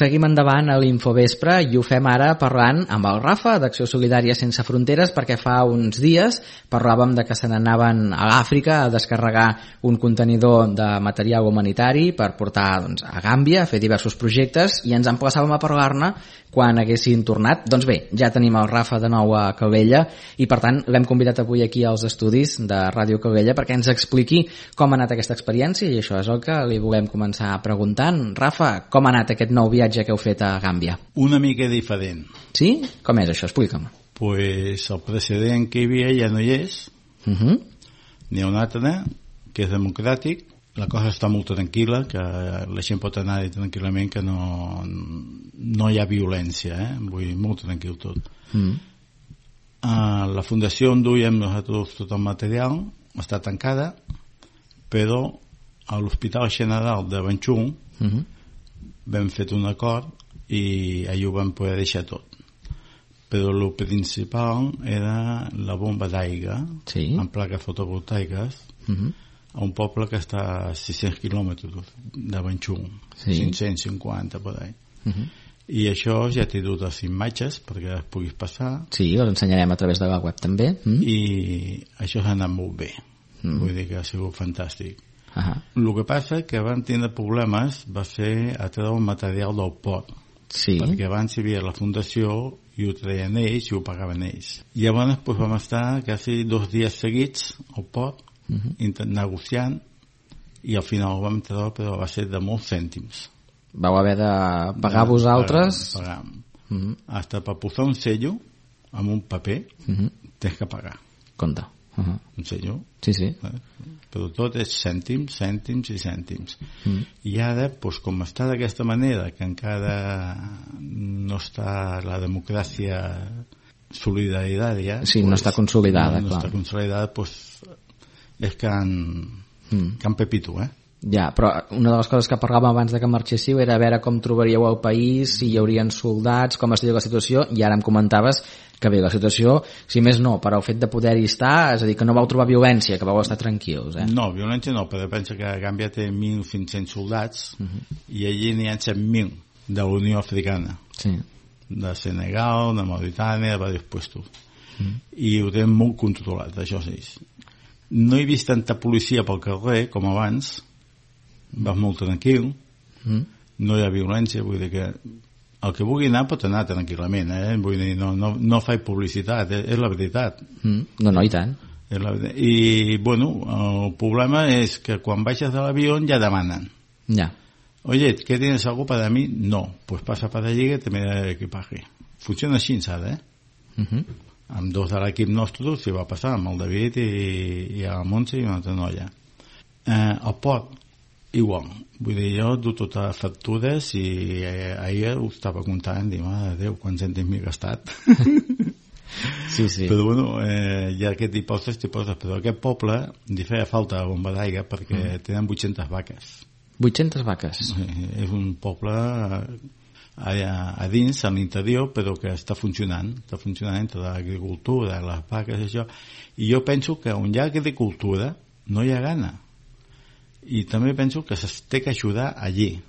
Seguim endavant a l'Infovespre i ho fem ara parlant amb el Rafa d'Acció Solidària Sense Fronteres, perquè fa uns dies parlàvem de que se n'anaven a l'Àfrica a descarregar un contenidor de material humanitari per portar a Gàmbia a fer diversos projectes, i ens emplaçàvem a parlar-ne quan haguessin tornat. Doncs bé, ja tenim el Rafa de nou a Calella i per tant l'hem convidat avui aquí als estudis de Ràdio Calella perquè ens expliqui com ha anat aquesta experiència, i això és el que li volem començar preguntant. Rafa, com ha anat aquest nou viatge que heu fet a Gàmbia? Una mica diferent. Sí? Com és això? Explica'm. Pues el precedent que hi havia ja no hi és. N'hi ha un altre que és democràtic. La cosa està molt tranquil·la, que la gent pot anar tranquil·lament, que no hi ha violència, vull dir, molt tranquil tot. La fundació on duiem nosaltres tot el material està tancada, però a l'Hospital General de Banjul vam fet un acord i allà ho vam poder deixar tot. Però el principal era la bomba d'aigua amb plaques fotovoltaiques a un poble que està a 600 quilòmetres de Banjul, 550 per ahí. I això ja t'he dut les imatges perquè les puguis passar. Sí, les ensenyarem a través de la web també. I això s'ha anat molt bé. Vull dir que ha sigut fantàstic. El que passa que van tindre problemes va ser a treure el material del port, perquè abans hi havia la fundació i ho treien ells i ho pagaven ells. I llavors vam estar quasi 2 dies seguits al port negociant, i al final ho vam treure, però va ser de molts cèntims. Vau haver de pagar vosaltres? Pagar. Hasta per posar un sello amb un paper tens que pagar. Compte. Un sello. Sí. Però tot és cèntims, cèntims i cèntims. I ara, com està d'aquesta manera, que encara no està la democràcia solidària, no està consolidada, no està consolidada, és can Pepito, Ja, però una de les coses que parlàvem abans de que marxéssiu era a veure com trobaríeu el país, si hi haurien soldats, com estaria la situació, i ara em comentaves que bé, la situació, si més no, per al fet de poder-hi estar, és a dir, que no vau trobar violència, que vau estar tranquils, No, violència no, però pensa que Gàmbia té 1.500 soldats i allí n'hi ha 7.000 de la Unió Africana, de Senegal, de Mauritània, de diversos puestos, i ho tenen molt controlat, això sí. No he vist tanta policia pel carrer com abans, vas molt tranquil, no hi ha violència, vull dir que el que vulgui anar pot anar tranquil·lament, vull dir, no faig publicitat, és la veritat. No, i tant. I, bueno, el problema és que quan baixes de l'avió ja demanen. Oye, ¿qué tienes algo para mí? No, pues pasa para allí que te me da el equipaje. Funciona així, saps, amb 2 de l'equip nostre s'hi va passar, amb el David i la Montse i una altra noia. El port, igual, vull dir, jo du totes les factures i ahir ho estava comptant, dic, mare de Déu, quants cèntims m'he gastat. Però bueno, hi ha aquest tipus, però aquest poble li feia falta la bomba d'aigua perquè tenen 800 vaques. 800 vaques? És un poble a dins, a l'interior, però que està funcionant entre l'agricultura, les vaques i això, i jo penso que on hi ha agricultura no hi ha gana, i també penso que s'ha que ajudar allí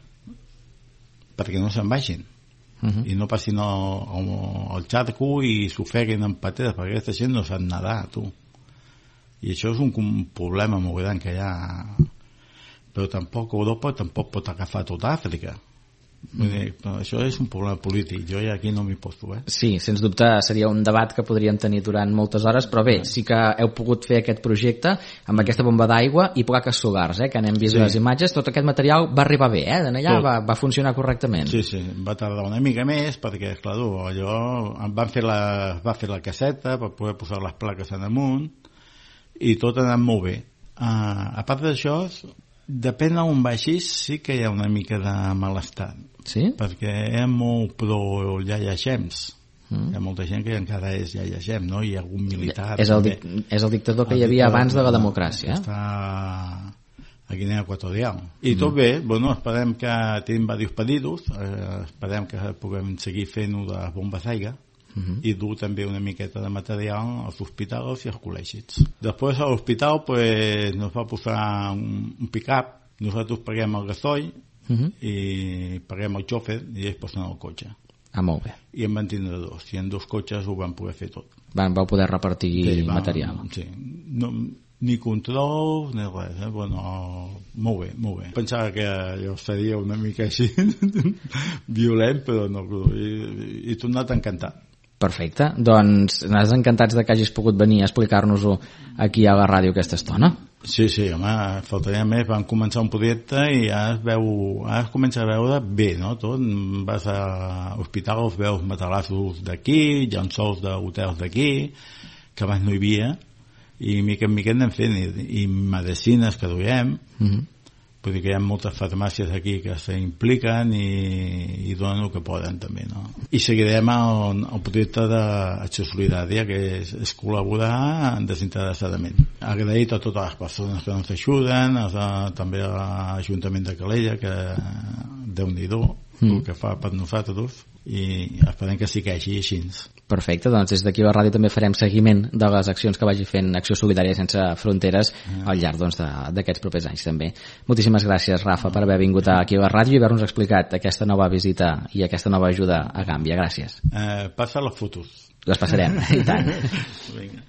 perquè no se'n vagin i no passin el xarco i s'ofeguin en pateres, perquè aquesta gent no sap nedar, tu, i això és un problema molt gran que hi ha, però tampoc Europa pot agafar tota Àfrica. Això és un problema polític, jo aquí no m'hi poso. Sí, sens dubte seria un debat que podríem tenir durant moltes hores, però bé, sí que heu pogut fer aquest projecte amb aquesta bomba d'aigua i plaques solars, que n'hem vist les imatges. Tot aquest material va arribar bé, d'allà va funcionar correctament. Sí, va tardar una mica més perquè, clar, allò va fer la caseta per poder posar les plaques en amunt i tot ha anat molt bé. A part d'això, depèn on vagis, sí que hi ha una mica de malestar, perquè hi ha molt pro Yahya James, hi ha molta gent que encara és Yahya James, no? Hi ha algun militar, és el dictador que hi havia abans de la democràcia, està a Guinea Equatorial, i tot bé. Bueno, esperem que tenim diversos pedidos, esperem que puguem seguir fent-ho de les bombes d'aigua i dur també una miqueta de material als hospitals i als col·legis. Després a l'hospital nos va posar un pick-up, nosaltres paguem el gasoil i paguem el xòfer i ells posen el cotxe. Molt bé. I en van tindre dos, i en dos cotxes ho van poder fer tot. Vau poder repartir material. Sí, ni control ni res, bueno, molt bé. Pensava que allò seria una mica així violent, però no, he tornat encantat. Perfecte, doncs nosaltres encantats de que hagis pogut venir a explicar-nos-ho aquí a la ràdio aquesta estona. Sí, home, faltaria més. Vam començar un projecte i ara es comença a veure bé, no? Tot, vas a hospitals, veus matalassos d'aquí, llençols d'hotels d'aquí, que abans no hi havia, i mica en mica anem fent, i medicines que duiem, vull dir que hi ha moltes farmàcies aquí que s'impliquen i donen el que poden també, no? I seguirem el projecte d'Acció Solidària, que és col·laborar desinteressadament. Agraït a totes les persones que ens ajuden, també a l'Ajuntament de Calella, que Déu-n'hi-do el que fa per nosaltres, i esperem que segueixi així. Perfecte, doncs des d'aquí a la ràdio també farem seguiment de les accions que vagi fent Acció Solidària Sense Fronteres al llarg d'aquests propers anys també. Moltíssimes gràcies, Rafa, per haver vingut aquí a la ràdio i haver-nos explicat aquesta nova visita i aquesta nova ajuda a Gàmbia. Gràcies. Passa les fotos. Les passarem, i tant. Vinga.